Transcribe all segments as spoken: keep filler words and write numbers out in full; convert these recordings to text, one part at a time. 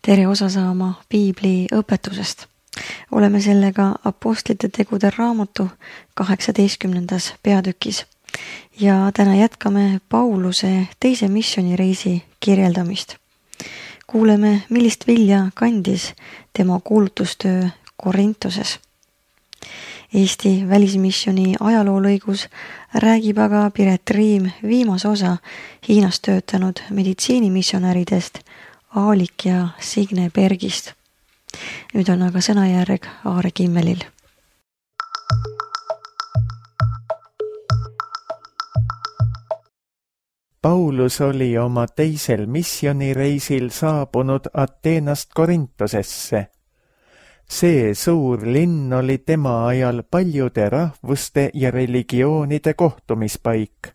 tere osa saama piibli õpetusest. Oleme sellega Apostlite tegude raamatu kaheksateistkümnendas peatükis ja täna jätkame Pauluse teise missioonireisi kirjeldamist. Kuuleme, millist vilja kandis tema kuulutustöö Korintoses. Eesti välismissiooni ajaloolõigus räägib aga Piret Riim viimase osa Hiinas töötanud meditsiinimissionäridest Aalik ja Signe Bergist. Nüüd on aga sõnajärg Aare Kimmelil. Paulus oli oma teisel missioonireisil saabunud Ateenast Korintosesse. See suur linn oli tema ajal paljude rahvuste ja religioonide kohtumispaik.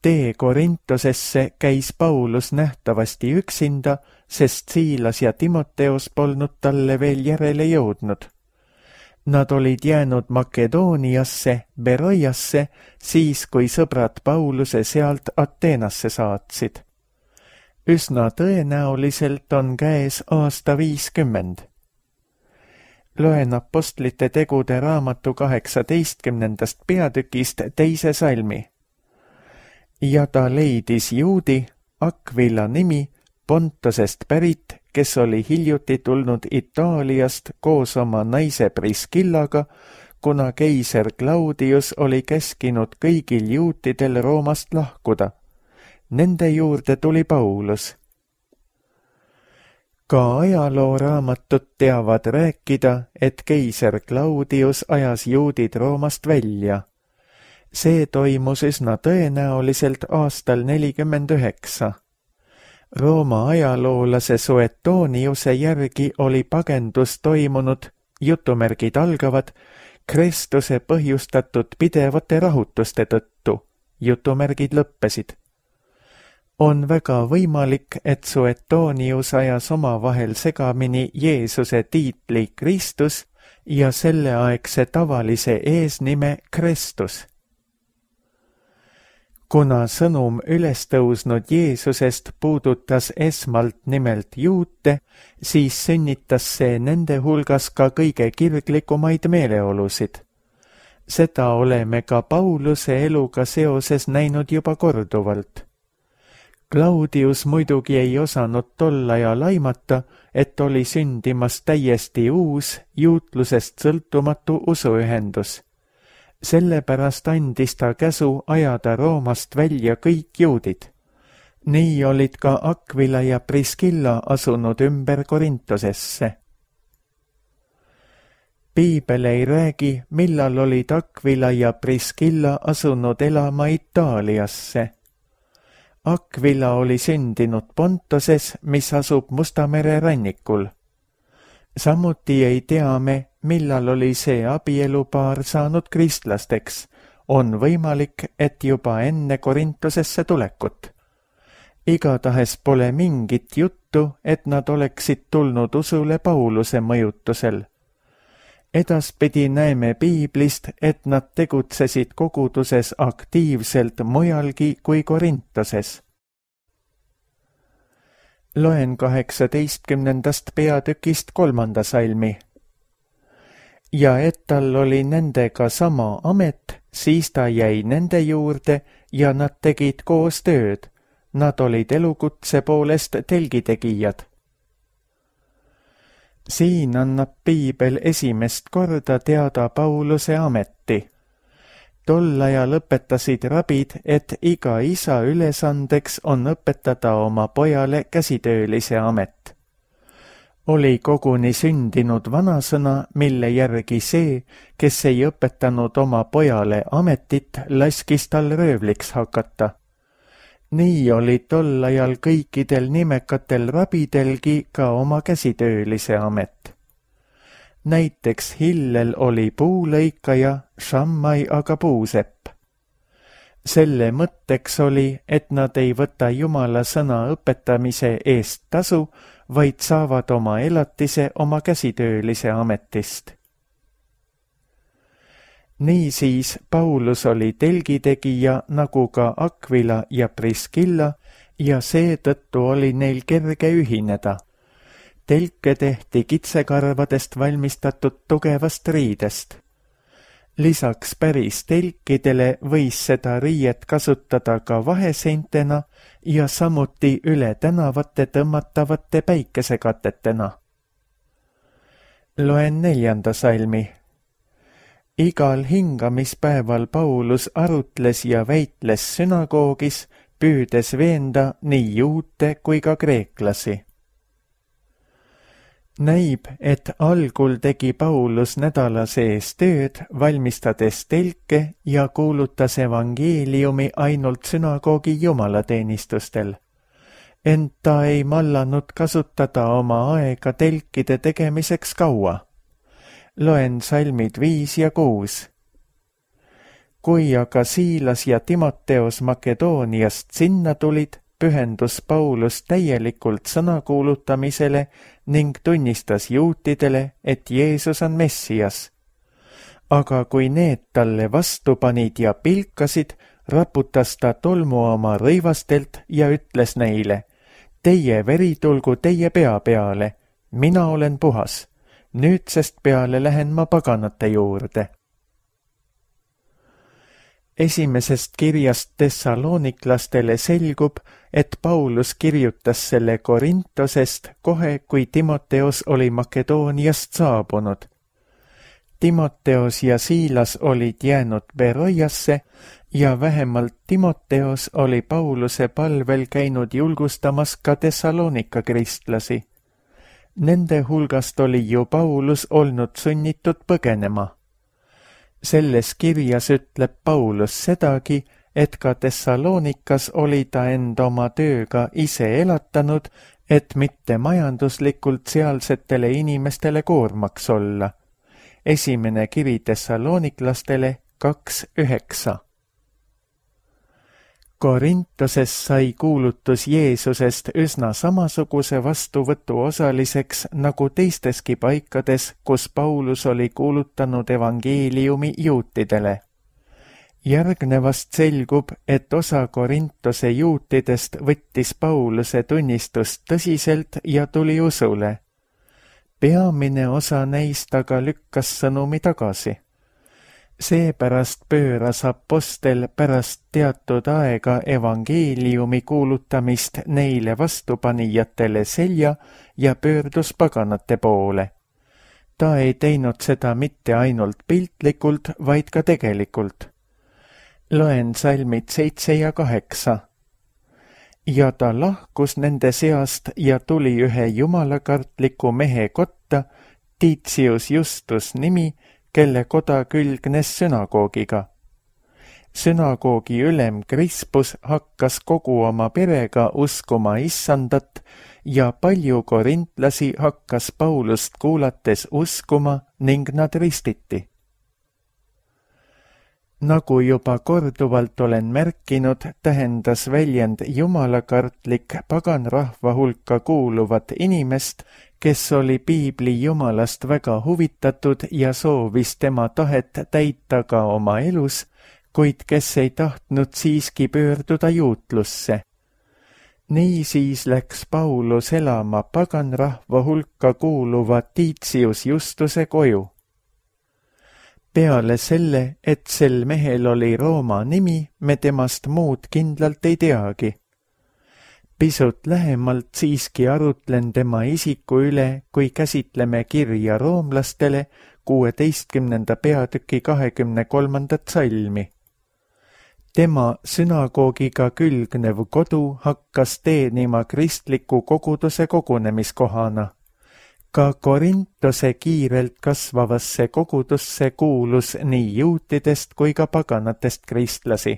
Tee Korintosesse käis Paulus nähtavasti üksinda, sest Siilas ja Timoteos polnud talle veel järele jõudnud. Nad olid jäänud Makedooniasse, Beroiasse, siis kui sõbrad Pauluse sealt Ateenasse saatsid. Üsna tõenäoliselt on käes aasta viiskümmend. Loen Apostlite tegude raamatu kaheksateistkümnendast peatükist teise salmi. Ja ta leidis juudi, Akvila nimi, Pontosest pärit, kes oli hiljuti tulnud Itaaliast koos oma naise Priskillaga, kuna keiser Claudius oli käskinud kõigil juutidel Roomast lahkuda. Nende juurde tuli Paulus. Ka ajalooraamatut teavad rääkida, et keiser Claudius ajas juudid Roomast välja. See toimus üsna tõenäoliselt aastal nelikümmend üheksa. Rooma ajaloolase Suetoniuse järgi oli pagendus toimunud, jutumärgid algavad, Kristuse põhjustatud pidevate rahutuste tõttu, jutumärgid lõppesid. On väga võimalik, et Suetonius ajas omavahel segamini Jeesuse tiitli Kristus ja selleaegse tavalise eesnime Kristus. Kuna sõnum ülestõusnud Jeesusest puudutas esmalt nimelt juute, siis sünnitas see nende hulgas ka kõige kirglikumaid meeleolusid. Seda oleme ka Pauluse eluga seoses näinud juba korduvalt. Claudius muidugi ei osanud tol ajal aimata, et oli sündimas täiesti uus, juutlusest sõltumatu usuühendus. Sellepärast andis ta käsu ajada Roomast välja kõik juudid. Nii olid ka Akvila ja Priskilla asunud ümber Korintosesse. Piibel ei räägi, millal olid Akvila ja Priskilla asunud elama Itaaliasse. Akvila oli sündinud Pontoses, mis asub Musta mere rannikul. Samuti ei tea me, millal oli see abielupaar saanud kristlasteks. On võimalik, et juba enne Korintosesse tulekut. Igatahes pole mingit juttu, et nad oleksid tulnud usule Pauluse mõjutusel. Edaspidi näeme piiblist, et nad tegutsesid koguduses aktiivselt mujalgi kui Korintoses. Loen kaheksateistkümnendast peatükist kolmanda salmi. Ja et tal oli nendega sama amet, siis ta jäi nende juurde ja nad tegid koos tööd. Nad olid elukutse poolest telgitegijad. Siin annab piibel esimest korda teada Pauluse ameti. Tol ajal õpetasid rabid, et iga isa ülesandeks on õpetada oma pojale käsitöölise amet. Oli koguni sündinud vanasõna, mille järgi see, kes ei õpetanud oma pojale ametit, laskis tal röövliks hakata. Nii oli tol ajal kõikidel nimekatel rabidelgi ka oma käsitöölise amet. Näiteks Hillel oli puulõikaja, Shammai aga puusepp. Selle mõtteks oli, et nad ei võta Jumala sõna õpetamise eest tasu, vaid saavad oma elatise oma käsitöölise ametist. Niisiis Paulus oli telgitegija nagu ka Akvila ja Priskilla ja seetõttu oli neil kerge ühineda. telke tehti kitsekarvadest valmistatud tugevast riidest. Lisaks päris telkidele võis seda riiet kasutada ka vaheseintena ja samuti üle tänavate tõmmatavate päikesekatetena. Loen neljanda salmi. Igal hingamispäeval Paulus arutles ja väitles sünagoogis, püüdes veenda nii juute kui ka kreeklasi. Näib, et algul tegi Paulus nädala sees tööd, valmistades telke ja kuulutas evangeeliumi ainult sünagoogi jumalateenistustel. Ent ta ei mallanud kasutada oma aega telkide tegemiseks kaua. Loen salmid viis ja kuus. Kui aga Siilas ja Timoteos Makedooniast sinna tulid, pühendus Paulus täielikult sõna kuulutamisele ning tunnistas juutidele, et Jeesus on Messias. Aga kui need talle vastu panid ja pilkasid, raputas ta tolmu oma rõivastelt ja ütles neile, teie veri tulgu teie pea peale, mina olen puhas, nüüdsest peale lähen ma paganate juurde. Esimesest kirjast Thessaloniklastele selgub, et Paulus kirjutas selle Korintosest kohe, kui Timoteos oli Makedooniast saabunud. Timoteos ja Siilas olid jäänud Beroiasse ja vähemalt Timoteos oli Pauluse palvel käinud julgustamas ka Thessalonika kristlasi. Nende hulgast oli ju Paulus olnud sunnitud põgenema. Selles kirjas ütleb Paulus sedagi, et ka Thessalonikas oli ta end oma tööga ise elatanud, et mitte majanduslikult sealsetele inimestele koormaks olla. Esimene kiri Thessaloniklastele kaks üheksa. Korintoses sai kuulutus Jeesusest üsna samasuguse vastuvõtu osaliseks nagu teisteski paikades, kus Paulus oli kuulutanud evangeeliumi juutidele. Järgnevast selgub, et osa Korintose juutidest võttis Pauluse tunnistust tõsiselt ja tuli usule. Peamine osa neist aga lükkas sõnumi tagasi. Seepärast pööras apostel pärast teatud aega evangeeliumi kuulutamist neile vastupanijatele selja ja pöördus paganate poole. Ta ei teinud seda mitte ainult piltlikult, vaid ka tegelikult. Loen salmid seitse ja kaheksa. Ja ta lahkus nende seast ja tuli ühe jumalakartliku mehe kotta, Titius Justus nimi, kelle koda külgnes sünagoogiga. Sünagoogi ülem Krispus hakkas kogu oma perega uskuma issandat ja palju korintlasi hakkas Paulust kuulates uskuma ning nad ristiti. Nagu juba korduvalt olen märkinud, tähendas väljend jumalakartlik paganrahva hulka kuuluvat inimest, kes oli piibli jumalast väga huvitatud ja soovis tema tahet täita ka oma elus, kuid kes ei tahtnud siiski pöörduda juutlusse. Niisiis läks Paulus elama paganrahva hulka kuuluva Titius Justuse koju. Peale selle, et sel mehel oli Rooma nimi, me temast muud kindlalt ei teagi. Pisut lähemalt siiski arutlen tema isiku üle, kui käsitleme kirja roomlastele kuueteistkümnenda peatüki kahekümne kolmandat salmi. Tema sünagoogiga külgnev kodu hakkas teenima kristliku koguduse kogunemiskohana. Ka Korintose kiirelt kasvavasse kogudusse kuulus nii juutidest kui ka paganatest kristlasi.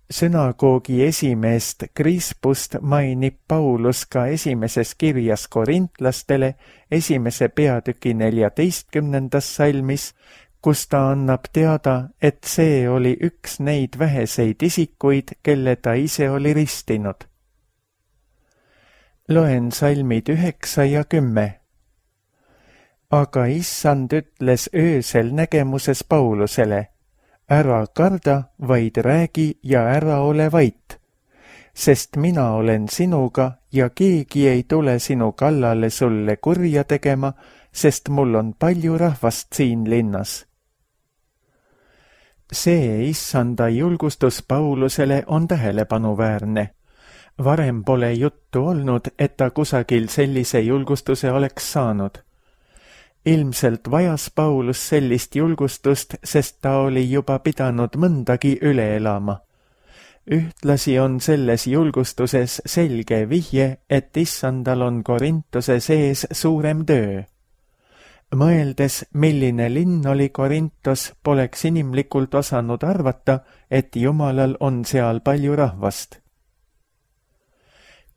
Sünagoogi esimeest Krispust mainib Paulus ka esimeses kirjas korintlastele esimese peatüki neljateistkümnendas salmis, kus ta annab teada, et see oli üks neid väheseid isikuid, kelle ta ise oli ristinud. Loen salmid üheksa ja kümme. Aga issand ütles öösel nägemuses Paulusele, ära karda, vaid räägi ja ära ole vait. sest mina olen sinuga ja keegi ei tule sinu kallale sulle kurja tegema, sest mul on palju rahvast siin linnas. See issanda julgustus Paulusele on tähelepanuväärne. Varem pole juttu olnud, et ta kusagil sellise julgustuse oleks saanud. Ilmselt vajas Paulus sellist julgustust, sest ta oli juba pidanud mõndagi üle elama. Ühtlasi on selles julgustuses selge vihje, et issandal on Korintuse sees suurem töö. Mõeldes, milline linn oli Korintos, poleks inimlikult osanud arvata, et Jumalal on seal palju rahvast.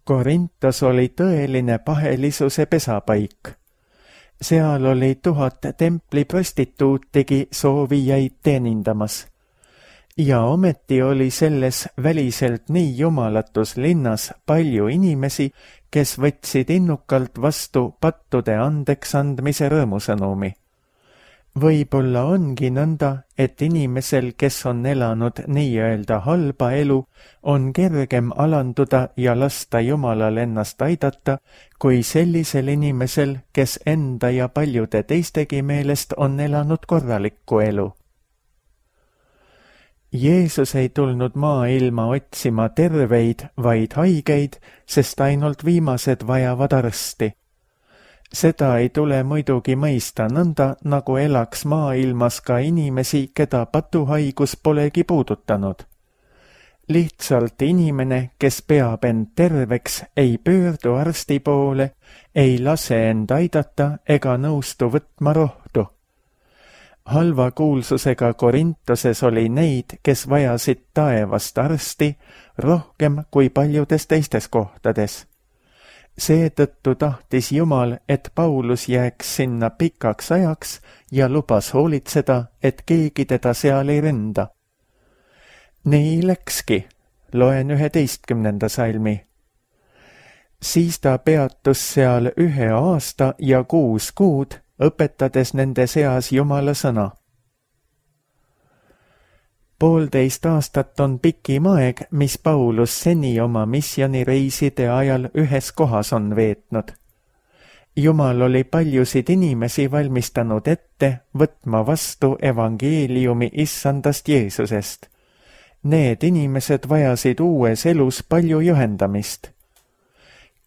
Korintos oli tõeline pahelisuse pesapaik. Seal oli tuhat templi prostituutigi soovijaid teenindamas. Ja ometi oli selles väliselt nii jumalatus linnas palju inimesi, kes võtsid innukalt vastu pattude andeks andmise rõõmusõnumi. Võib-olla ongi nõnda, et inimesel, kes on elanud nii-öelda halba elu, on kergem alanduda ja lasta Jumalal ennast aidata, kui sellisel inimesel, kes enda ja paljude teistegi meelest on elanud korralikku elu. Jeesus ei tulnud maailma otsima terveid, vaid haigeid, sest ainult viimased vajavad arsti. Seda ei tule muidugi mõista nõnda, nagu elaks maailmas ka inimesi, keda patuhaigus polegi puudutanud. Lihtsalt inimene, kes peab end terveks, ei pöördu arsti poole, ei lase end aidata ega nõustu võtma rohtu. Halva kuulsusega Korintoses oli neid, kes vajasid taevast arsti rohkem kui paljudes teistes kohtades. Seetõttu tahtis Jumal, et Paulus jääks sinna pikaks ajaks ja lubas hoolitseda, et keegi teda seal ei ründa. Nii läkski, loen üheteistkümnenda salmi. Siis ta peatus seal ühe aasta ja kuus kuud, õpetades nende seas Jumala sõna. Poolteist aastat on pikim aeg, mis Paulus seni oma missioonireiside ajal ühes kohas on veetnud. Jumal oli paljusid inimesi valmistanud ette võtma vastu evangeeliumi issandast Jeesusest. Need inimesed vajasid uues elus palju juhendamist.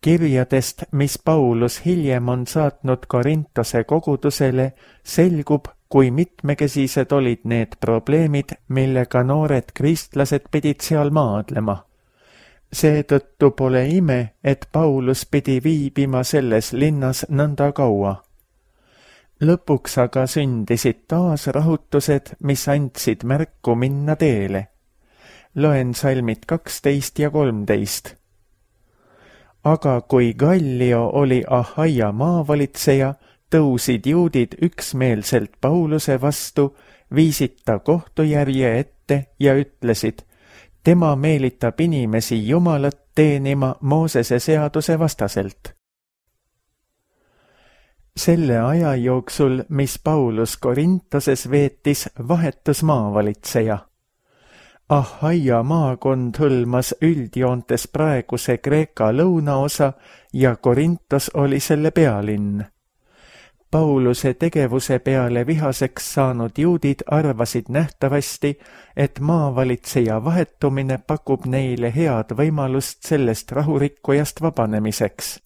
Kirjadest, mis Paulus hiljem on saatnud Korintose kogudusele, selgub, kui mitmekesised olid need probleemid, millega noored kristlased pidid seal maadlema. Seetõttu pole ime, et Paulus pidi viibima selles linnas nõnda kaua. Lõpuks aga sündisid taas rahutused, mis andsid märku minna teele. Loen salmid kaksteist ja kolmteist. Aga kui Gallio oli Ahaia maavalitseja, tõusid juudid üksmeelselt Pauluse vastu, viisid ta kohtujärje ette ja ütlesid, tema meelitab inimesi Jumalat teenima Moosese seaduse vastaselt. Selle aja jooksul, mis Paulus Korintoses veetis, vahetus maavalitseja. Ahaia maakond hõlmas üldjoontes praeguse Kreeka lõunaosa ja Korintos oli selle pealinn. Pauluse tegevuse peale vihaseks saanud juudid arvasid nähtavasti, et maavalitseja vahetumine pakub neile head võimalust sellest rahurikkujast vabanemiseks.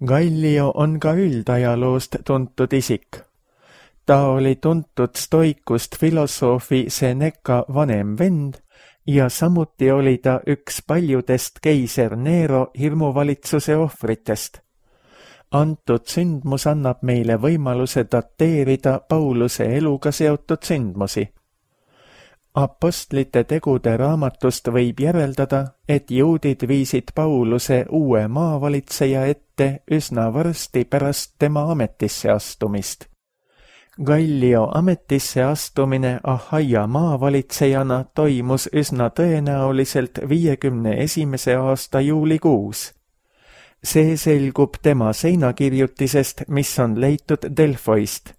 Gallio on ka üldajaloost tuntud isik. Ta oli tuntud stoikust filosoofi Seneca vanem vend ja samuti oli ta üks paljudest keiser Nero hirmuvalitsuse ohvritest. Antud sündmus annab meile võimaluse dateerida Pauluse eluga seotud sündmusi. Apostlite tegude raamatust võib järeldada, et juudid viisid Pauluse uue maavalitseja ette üsna varsti pärast tema ametisse astumist. Gallio ametisse astumine Ahaia maavalitsejana toimus üsna tõenäoliselt viiekümne esimese aasta juulikuus. See selgub tema seinakirjutisest, mis on leitud Delfoist.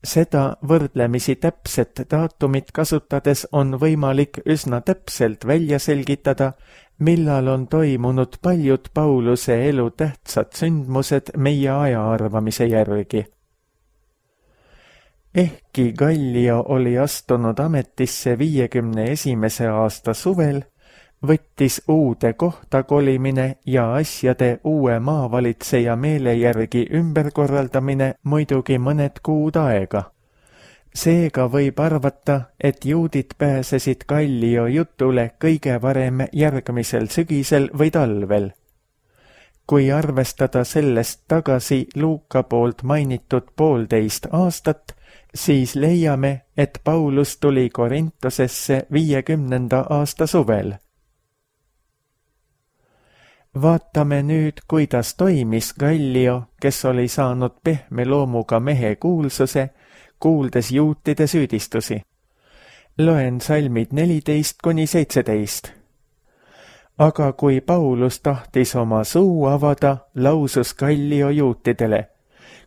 Seda võrdlemisi täpset daatumit kasutades on võimalik üsna täpselt välja selgitada, millal on toimunud paljud Pauluse elu tähtsad sündmused meie aja arvamise järgi. Ehkki Gallio oli astunud ametisse viiekümne esimese aasta suvel, võttis uude kohta kolimine ja asjade uue maavalitseja meele järgi ümberkorraldamine muidugi mõned kuud aega. Seega võib arvata, et juudid pääsesid Gallio jutule kõige varem järgmisel sügisel või talvel. Kui arvestada sellest tagasi Luuka poolt mainitud poolteist aastat, siis leiame, et Paulus tuli Korintosesse viiekümnenda aasta suvel. Vaatame nüüd, kuidas toimis Gallio, kes oli saanud pehme loomuga mehe kuulsuse, kuuldes juutide süüdistusi. Loen salmid neliteist kuni seitseteist. Aga kui Paulus tahtis oma suu avada, lausus Gallio juutidele: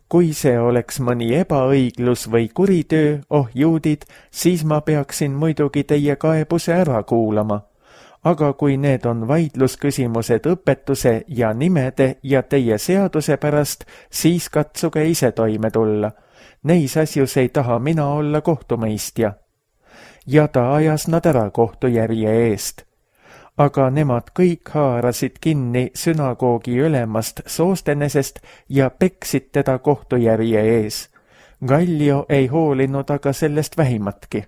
kui see oleks mõni ebaõiglus või kuritöö, oh juudid, siis ma peaksin muidugi teie kaebuse ära kuulama. Aga kui need on vaidlusküsimused õpetuse ja nimede ja teie seaduse pärast, siis katsuge ise toime tulla. Neis asjus ei taha mina olla kohtumõistja. Ja ta ajas nad ära kohtujärje eest. Aga nemad kõik haarasid kinni sünagoogi ülemast Soostenesest ja peksid teda kohtujärje ees. Gallio ei hoolinud aga sellest vähimatki.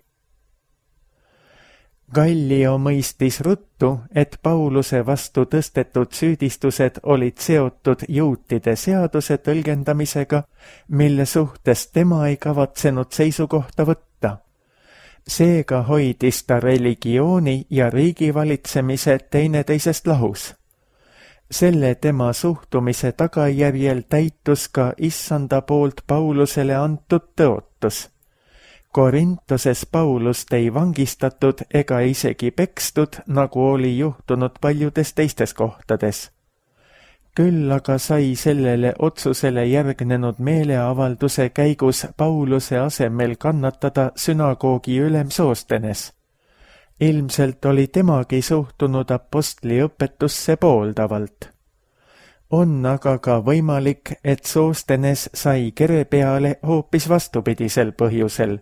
Gallio mõistis ruttu, et Pauluse vastu tõstetud süüdistused olid seotud juutide seaduse tõlgendamisega, mille suhtes tema ei kavatsenud seisukohta võtta. Seega hoidis ta religiooni ja riigivalitsemise teineteisest lahus. Selle tema suhtumise tagajärjel täitus ka issanda poolt Paulusele antud tõotus. Korintoses Paulust ei vangistatud ega isegi pekstud, nagu oli juhtunud paljudes teistes kohtades. Küll aga sai sellele otsusele järgnenud meeleavalduse käigus Pauluse asemel kannatada sünagoogi ülem Soostenes. Ilmselt oli temagi suhtunud apostli õpetusse pooldavalt. On aga ka võimalik, et Soostenes sai kere peale hoopis vastupidisel põhjusel.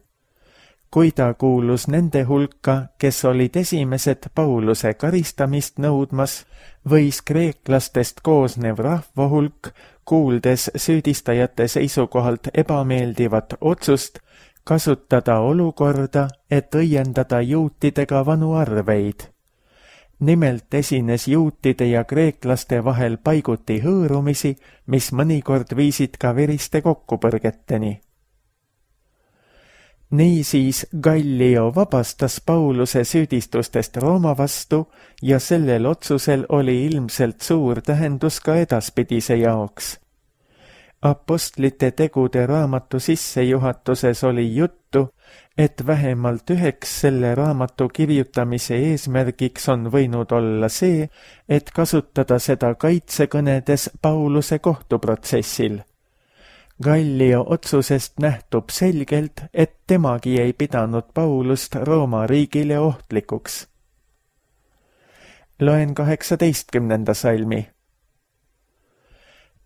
Kui ta kuulus nende hulka, kes olid esimesed Pauluse karistamist nõudmas, võis kreeklastest koosnev rahvahulk, kuuldes süüdistajate seisukohalt ebameeldivat otsust, kasutada olukorda, et õiendada juutidega vanu arveid. Nimelt esines juutide ja kreeklaste vahel paiguti hõõrumisi, mis mõnikord viisid ka veriste kokkupõrgeteni. Niisiis Gallio vabastas Pauluse süüdistustest Rooma vastu ja sellel otsusel oli ilmselt suur tähendus ka edaspidise jaoks. Apostlite tegude raamatu sissejuhatuses oli juttu, et vähemalt üheks selle raamatu kirjutamise eesmärgiks on võinud olla see, et kasutada seda kaitsekõnedes Pauluse kohtuprotsessil. Gallio otsusest nähtub selgelt, et temagi ei pidanud Paulust Rooma riigile ohtlikuks. Loen kaheksateistkümnenda salmi.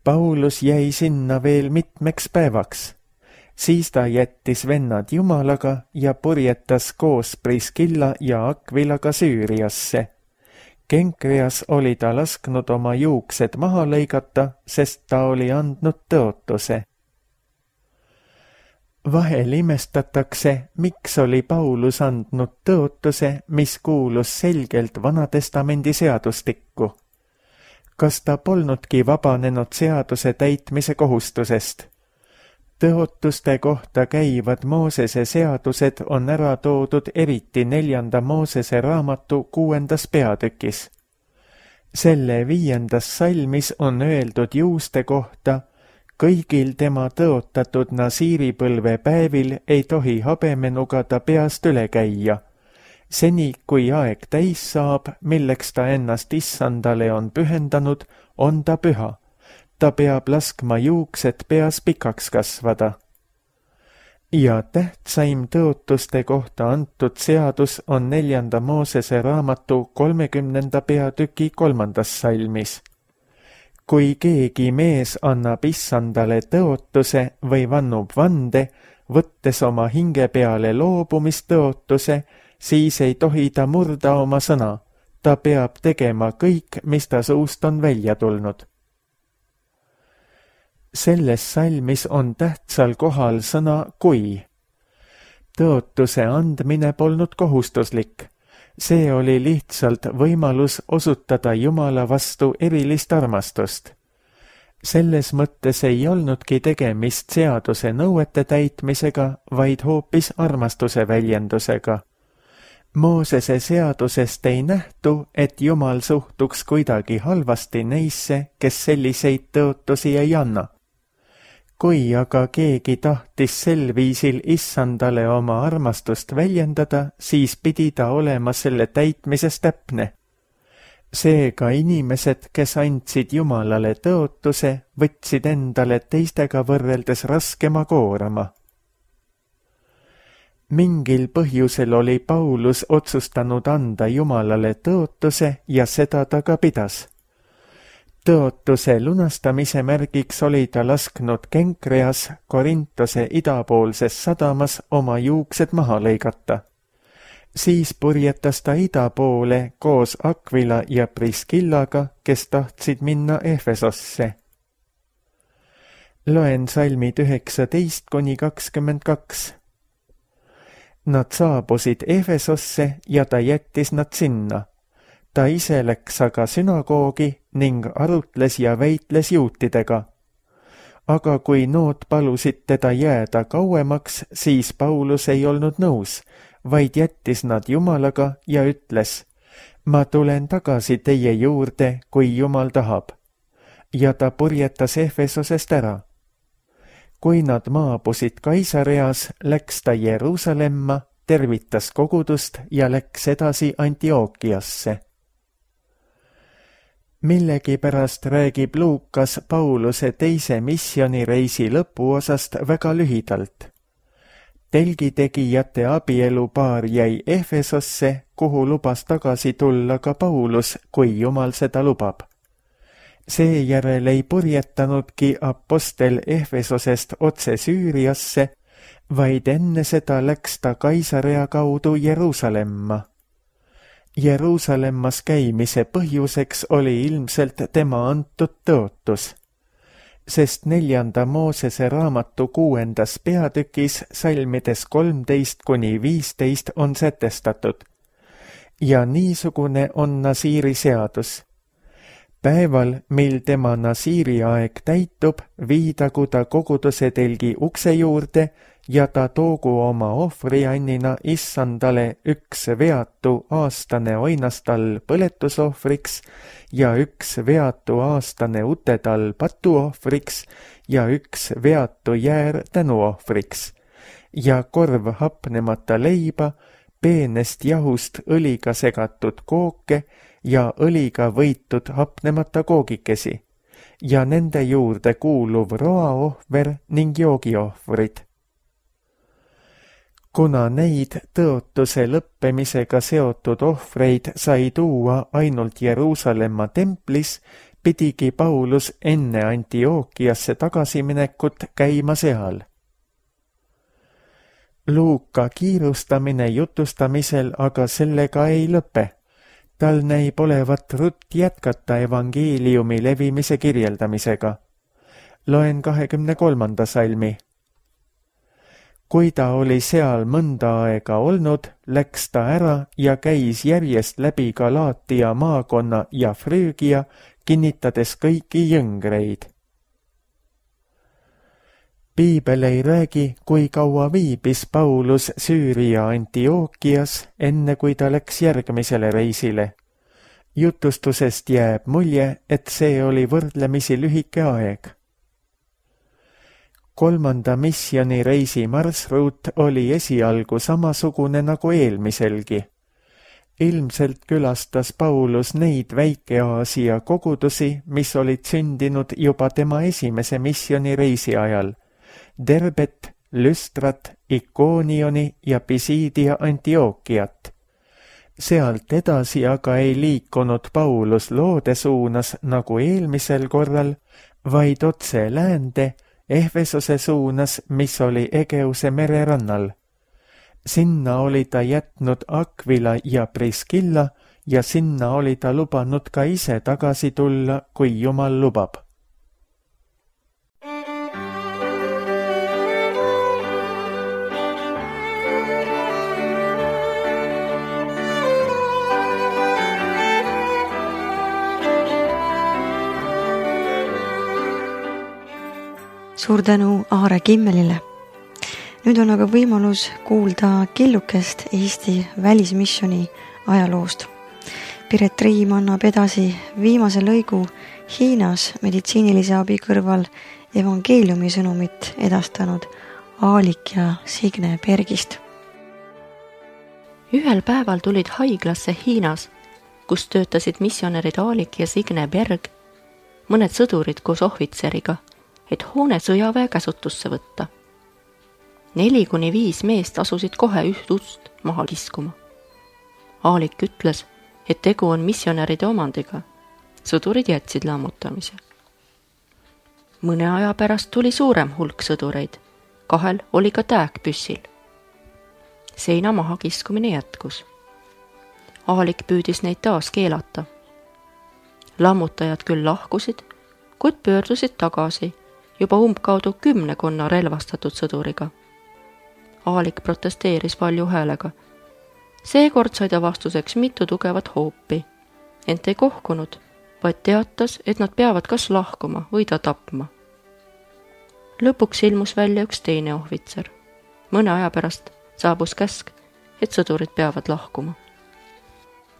Paulus jäi sinna veel mitmeks päevaks. Siis ta jättis vennad Jumalaga ja purjetas koos Priskilla ja Akvilaga Süüriasse. Kenkreas oli ta lasknud oma juuksed maha lõigata, sest ta oli andnud tõotuse. Vahel imestatakse, miks oli Paulus andnud tõotuse, mis kuulus selgelt Vanatestamendi seadustikku. Kas ta polnudki vabanenud seaduse täitmise kohustusest? Tõotuste kohta käivad Moosese seadused on ära toodud eriti neljanda Moosese raamatu kuuendas peatükis. Selle viiendas salmis on öeldud juuste kohta: kõigil tema tõotatud nasiiripõlve päevil ei tohi habemenuga ta peast üle käia. Seni, kui aeg täis saab, milleks ta ennast issandale on pühendanud, on ta püha. Ta peab laskma juuksed peas pikaks kasvada. ja tähtsaim tõotuste kohta antud seadus on neljanda Moosese raamatu kolmekümnenda peatüki kolmandas salmis. Kui keegi mees annab issandale tõotuse või vannub vande, võttes oma hinge peale loobumistõotuse, siis ei tohi ta murda oma sõna. Ta peab tegema kõik, mis ta suust on välja tulnud. Selles salmis on tähtsal kohal sõna kui. Tõotuse andmine polnud kohustuslik. See oli lihtsalt võimalus osutada Jumala vastu erilist armastust. Selles mõttes ei olnudki tegemist seaduse nõuete täitmisega, vaid hoopis armastuse väljendusega. Moosese seadusest ei nähtu, et Jumal suhtuks kuidagi halvasti neisse, kes selliseid tõotusi ei anna. Kui aga keegi tahtis sel viisil issandale oma armastust väljendada, siis pidi ta olema selle täitmises täpne. Seega inimesed, kes andsid Jumalale tõotuse, võtsid endale teistega võrreldes raskema koorama. Mingil põhjusel oli Paulus otsustanud anda Jumalale tõotuse ja seda ta ka pidas. Tõotuse lunastamise märgiks oli ta lasknud Kenkreas Korintose idapoolses sadamas oma juuksed maha lõigata. Siis purjetas ta ida poole koos Aquila ja Priskillaga, kes tahtsid minna Efesosse. Loen salmid üheksateist kuni kakskümmend kaks. Nad saabusid Efesosse ja ta jättis nad sinna. Ta ise läks aga sünagoogi ning arutles ja väitles juutidega. Aga kui nood palusid teda jääda kauemaks, siis Paulus ei olnud nõus, vaid jättis nad Jumalaga ja ütles, ma tulen tagasi teie juurde, kui Jumal tahab. Ja ta purjetas Efesosest ära. Kui nad maabusid Kaisareas, läks ta Jeruusalemma, tervitas kogudust ja läks edasi Antiookiasse. Millegipärast räägib Luukas Pauluse teise missioonireisi lõpuosast väga lühidalt. Telgitegijate abielupaar jäi Efesosse, kuhu lubas tagasi tulla ka Paulus, kui Jumal seda lubab. Seejärel ei purjetanudki apostel Efesosest otse Süüriasse, vaid enne seda läks ta Kaisarea kaudu Jeruusalemma. Jeruusalemmas käimise põhjuseks oli ilmselt tema antud tõotus, sest neljanda Moosese raamatu kuuendas peatükis salmides kolmteist kuni viisteist on sätestatud. Ja niisugune on Nasiiri seadus. Päeval, mil tema Nasiiri aeg täitub, viidagu ta koguduse telgi ukse juurde ja ta toogu oma ohvriannina issandale üks veatu aastane oinastall põletusohvriks ja üks veatu aastane utetall patuohvriks ja üks veatu jäär tänuohvriks ja korv hapnemata leiba, peenest jahust õliga segatud kooke ja õliga võitud hapnemata koogikesi ja nende juurde kuuluv roaohver ning joogiohvrid. Kuna neid tõotuse lõppemisega seotud ohvreid sai tuua ainult Jeruusalemma templis, pidigi Paulus enne Antiookiasse tagasiminekut käima seal. Luuka kiirustamine jutustamisel aga sellega ei lõpe. Tal näib olevat rutt jätkata evangeeliumi levimise kirjeldamisega. Loen kahekümne kolmanda salmi. Kui ta oli seal mõnda aega olnud, läks ta ära ja käis järjest läbi Galaatia maakonna ja Früügia, kinnitades kõiki jõngreid. Piibel ei räägi, kui kaua viibis Paulus Süüria Antiookias, enne kui ta läks järgmisele reisile. Jutustusest jääb mulje, et see oli võrdlemisi lühike aeg. Kolmanda missioonireisi marsruut oli esialgu samasugune nagu eelmiselgi. Ilmselt külastas Paulus neid Väike-Aasia kogudusi, mis olid sündinud juba tema esimese missioonireisi ajal, Derbet, Lüstrat, Ikoonioni ja Pisidia Antiookiat. Sealt edasi aga ei liikunud Paulus loode suunas nagu eelmisel korral, vaid otse läände Ehvesose suunas, mis oli Egeuse mererannal. Sinna oli ta jätnud Aquila ja Priskilla ja sinna oli ta lubanud ka ise tagasi tulla, kui Jumal lubab. Suur tänu Aare Kimmelile. Nüüd on aga võimalus kuulda killukest Eesti välismissioni ajaloost. Piret Riim annab edasi viimase lõigu Hiinas meditsiinilise abi kõrval evangeeliumi sõnumit edastanud Aalik ja Signe Bergist. Ühel päeval tulid haiglasse Hiinas, kus töötasid missionärid Aalik ja Signe Berg, mõned sõdurid koos ohvitseriga, et hoone sõjaväe käsutusse võtta. Neli kuni viis meest asusid kohe üht ust maha kiskuma. Aalik ütles, et tegu on missionäride omandiga. Sõdurid jätsid lammutamise. Mõne aja pärast tuli suurem hulk sõdureid. Kahel oli ka tääk püssil. Seina maha kiskumine jätkus. Aalik püüdis neid taas keelata. Lammutajad küll lahkusid, kuid pöördusid tagasi juba umbkaudu kümnekonna relvastatud sõduriga. Aalik protesteeris palju häälega. Seekord sai ta vastuseks mitu tugevat hoopi, ent ei kohkunud, vaid teatas, et nad peavad kas lahkuma või ta tapma. Lõpuks ilmus välja üks teine ohvitser. Mõne aja pärast saabus käsk, et sõdurid peavad lahkuma.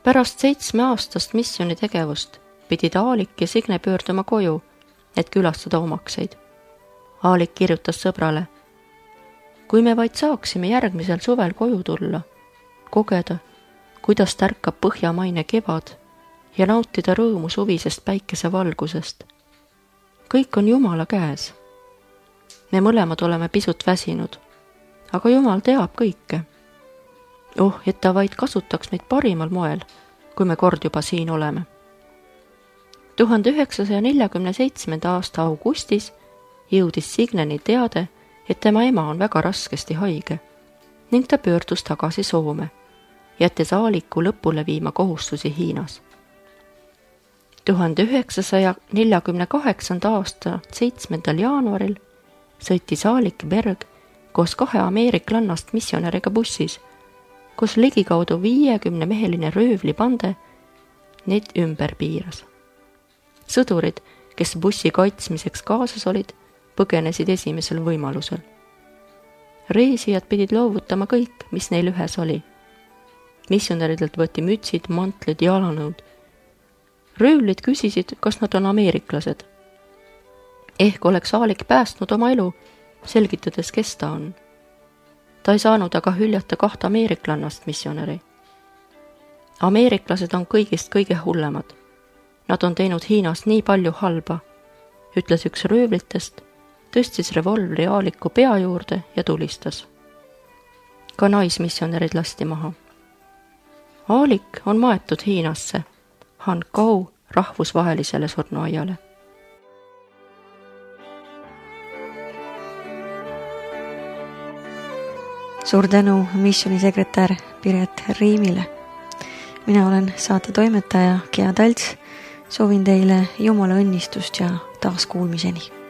Pärast seitsme aastast missiooni tegevust pidid Aalik ja Signe pöörduma koju, et külastada omakseid. Aalik kirjutas sõbrale: kui me vaid saaksime järgmisel suvel koju tulla, kogeda, kuidas tärkab põhjamaine kevad ja nautida rõõmu suvisest päikesevalgusest. Kõik on Jumala käes. Me mõlemad oleme pisut väsinud, aga Jumal teab kõike. Oh, et ta vaid kasutaks meid parimal moel, kui me kord juba siin oleme. tuhande üheksasaja neljakümne seitsmenda aasta augustis jõudis Signeni teade, et tema ema on väga raskesti haige ning ta pöördus tagasi Soome, jättes Aaliku lõpule viima kohustusi Hiinas. tuhande üheksasaja neljakümne kaheksanda aasta seitsmendal jaanuaril sõitis Aalik Berg koos kahe ameeriklannast missionäriga bussis, kus ligikaudu viiekümne meheline röövlipande neid ümber piiras. Sõdurid, kes bussi kaitsmiseks kaasas olid, põgenesid esimesel võimalusel. Reisijad pidid loovutama kõik, mis neil ühes oli. Missionäridelt võeti mütsid, mantlid, jalanõud. Röövlid küsisid, kas nad on ameeriklased. Ehk oleks Aalik päästnud oma elu, selgitades, kes ta on. Ta ei saanud aga hüljata kahte ameeriklannast missionäri. Ameeriklased on kõigist kõige hullemad. Nad on teinud Hiinas nii palju halba, ütles üks röövlitest, tõstis revolvri Aaliku pea juurde ja tulistas. Ka naismissionärid lasti maha. Aalik on maetud Hiinasse, Hankau rahvusvahelisele surnuaiale. Suur tänu missionisekretär Piret Riimile. Mina olen saate toimetaja Gea Talts. Soovin teile Jumala õnnistust ja taas kuulmiseni.